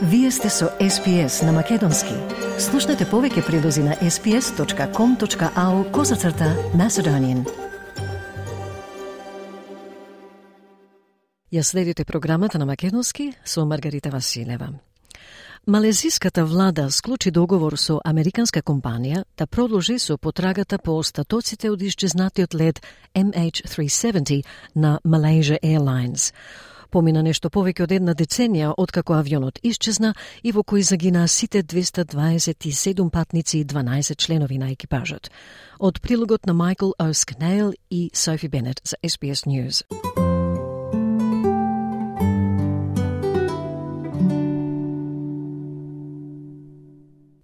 Вие сте со SPS на Македонски. Слушнете повеќе прилози на sps.com.au/Macedonian. Ја следите програмата на Македонски со Маргарита Василева. Малезиската влада склучи договор со американска компанија да продолжи со потрагата по остатоците од исчезнатиот лет MH370 на Malaysia Airlines. Помина нешто повеќе од една деценија откако авионот исчезна и во кој загинаа сите 227 патници и 12 членови на екипажот. Од прилогот на Майкл O'Scannell и Софи Бенет за SBS News.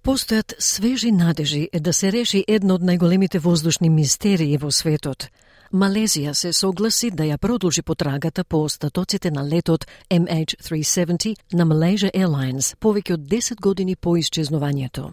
Постојат свежи надежи да се реши едно од најголемите воздушни мистерии во светот. Малезија се согласи да ја продолжи потрагата по остатоците на летот MH370 на Malaysia Airlines повеќе од 10 години по исчезнувањето.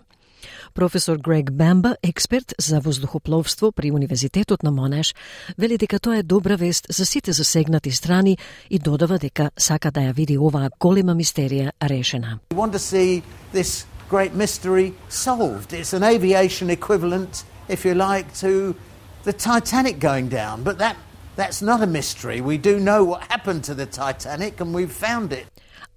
Професор Грег Бамба, експерт за воздухопловство при Универзитетот на Монаш, вели дека тоа е добра вест за сите засегнати страни и додава дека сака да ја види оваа голема мистерија решена. We want to see this great mystery solved. It's an aviation equivalent, if you like, to the Titanic going down, but that's not a mystery. We do know what happened to the Titanic and we've found it.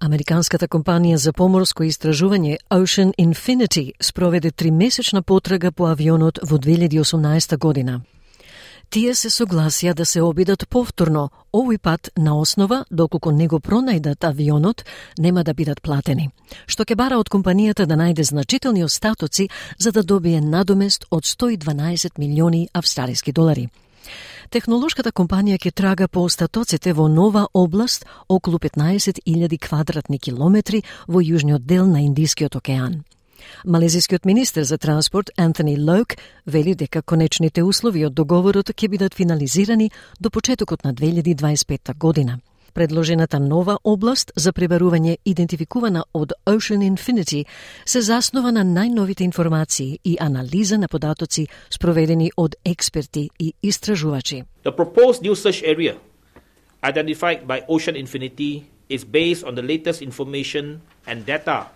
Американската компанија за поморско истражување Ocean Infinity спроведе 3-месечна потрага по авионот во 2018 година. Тие се согласија да се обидат повторно, овој пат на основа, доколку не го пронајдат авионот, нема да бидат платени, што ќе бара од компанијата да најде значителни остатоци за да добие надомест од 112 милиони австралиски долари. Технолошката компанија ќе трага по остатоците во нова област околу 15.000 квадратни километри во јужниот дел на Индискиот океан. Малезискиот министер за транспорт Антони Лоук вели дека конечните услови од договорот ќе бидат финализирани до почетокот на 2025 година. Предложената нова област за пребарување идентификувана од Ocean Infinity се заснова на најновите информации и анализа на податоци спроведени од експерти и истражувачи. The proposed new search area identified by Ocean Infinity is based on the latest information and data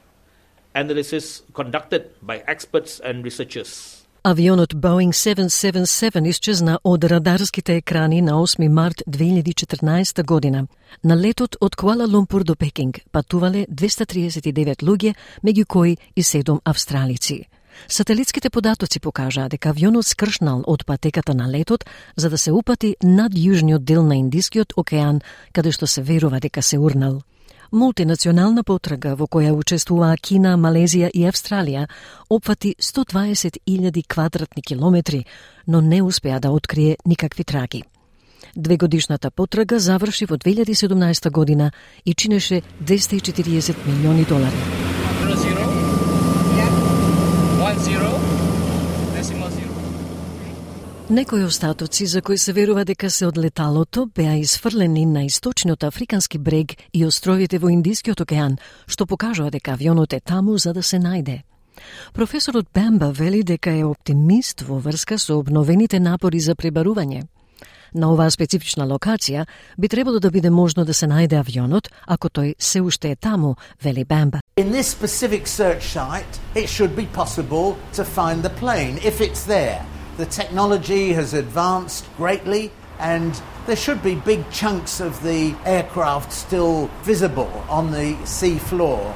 analysis conducted by experts and researchers. Авионот Boeing 777 исчезна од радарските екрани на 8 март 2014 година. На летот од Куала Лумпур до Пекинг патувале 239 луѓе, меѓу кои и 7 австралици. Сателитските податоци покажаа дека авионот скршнал од патеката на летот за да се упати над јужниот дел на Индискиот океан, каде што се верува дека се урнал. Мултинационална потрага во која учествуваа Кина, Малезија и Австралија опфати 120.000 квадратни километри, но не успеа да открие никакви траги. Двегодишната потрага заврши во 2017 година и чинеше 240 милиони долари. 10. Некои остатоци за кои се верува дека се од леталото беа изфрлени на источниот африкански брег и островите во Индискиот океан, што покажува дека авионот е таму за да се најде. Професорот Бамба вели дека е оптимист во врска со обновените напори за пребарување. На оваа специфична локација би требало да биде можно да се најде авионот, ако тој се уште е таму, вели Бамба. In this specific search site, it should be possible to find the plane if it's there. The technology has advanced greatly and there should be big chunks of the aircraft still visible on the sea floor.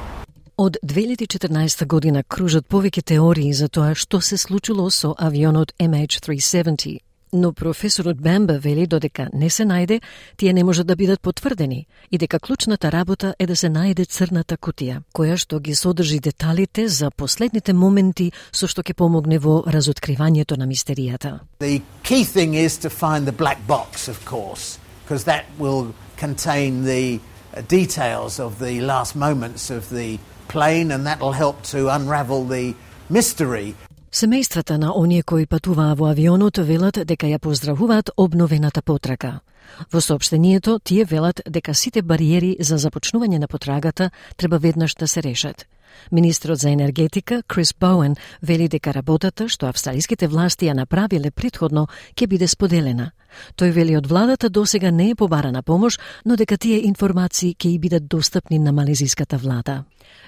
Од 2014 година кружат повеќе теории за тоа што се случило со авионот MH370. Но професорот Бамба вели додека не се најде, тие не можат да бидат потврдени и дека клучната работа е да се најде црната кутија, која што ги содржи деталите за последните моменти со што ќе помогне во разоткривањето на мистеријата. The key thing is to find the black box, of course, because that will contain the details of the last moments of the plane and that will help to unravel the mystery. Семејствата на оние кои патуваа во авионот велат дека ја поздравуваат обновената потрага. Во соопштението тие велат дека сите бариери за започнување на потрагата треба веднаш да се решат. Министрот за енергетика Крис Боуен вели дека работата што австралиските власти ја направиле претходно ќе биде споделена, Тој вели од владата досега не е побарана помош, но дека тие информации ќе и бидат достапни на малезиската влада.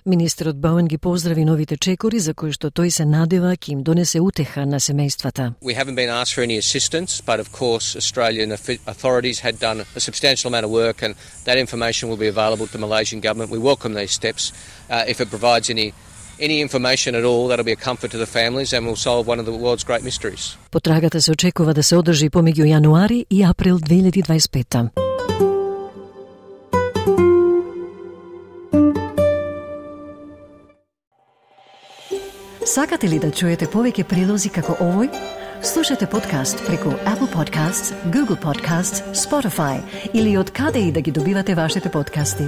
Министерот Боуен ги поздрави новите чекори за кои што тој се надева ќе им донесе утеха на семејствата. We haven't been asked for any assistance, but of course Australian authorities had done a substantial amount of work and that information will be available to the Malaysian government. We welcome these steps. If it provides any information at all, that'll be a comfort to the families and will solve one of the world's great mysteries. Потрагата се очекува да се одржи помеѓу јануари и април 2025. Сакате ли да чуете повеќе прилози како овој? Слушате подкаст преку Apple Podcasts, Google Podcasts, Spotify или од каде и да ги добивате вашите подкасти.